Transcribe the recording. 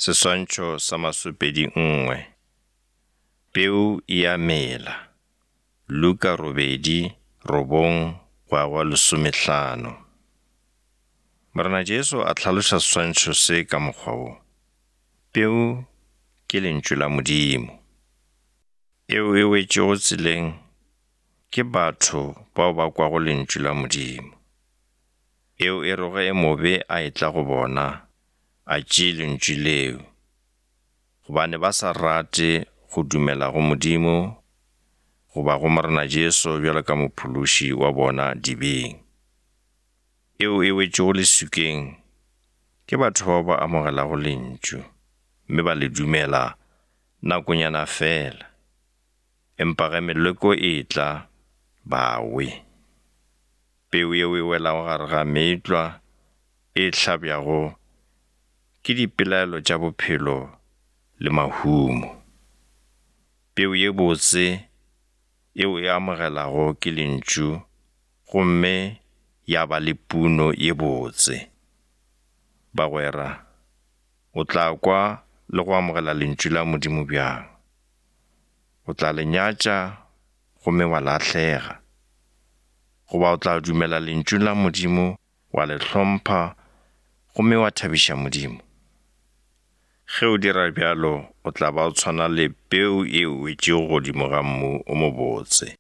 Seswantšho sa masopedi nngwe. Peu e a mela. Luka robedi, robong, go ya go lesomehlano. Morena Jesu a hlaloša seswantšho se ka mokgwa wo. Peu ke lentšu la Modimo. Eo e wetšego tseleng ke batho bao ba kwago lentšu la Modimo. Eo e rego e mobe a etla go bona, a tšee lentšu leo, gobane ba sa rate go dumela go Modimo goba go Morena Jesu bjalo ka Mophološi wa bona dibeng. Eo e wetšego leswikeng ke batho bao ba amogelago lentšu mme ba le dumela nakonyana feela, empa ge meleko e etla, ba we. Peu yeo e welago gare ga meetlwa e hlabjago ke dipelaelo tša bophelo le mahumo. Peu ye botse yeo e amogelago ke lentšu gomme ya ba le puno ye botse. Bagwera, o tla kwa le go amogela lentšu la Modimo bjang? O tla le nyatša gomme wa lahlega? Goba o tla dumela lentšung la Modimo wa le hlompha gomme wa thabiša Modimo? Ge o dira bjalo, o tla ba o tshwana le peu e wetšego godimo ga mmu o mobotse.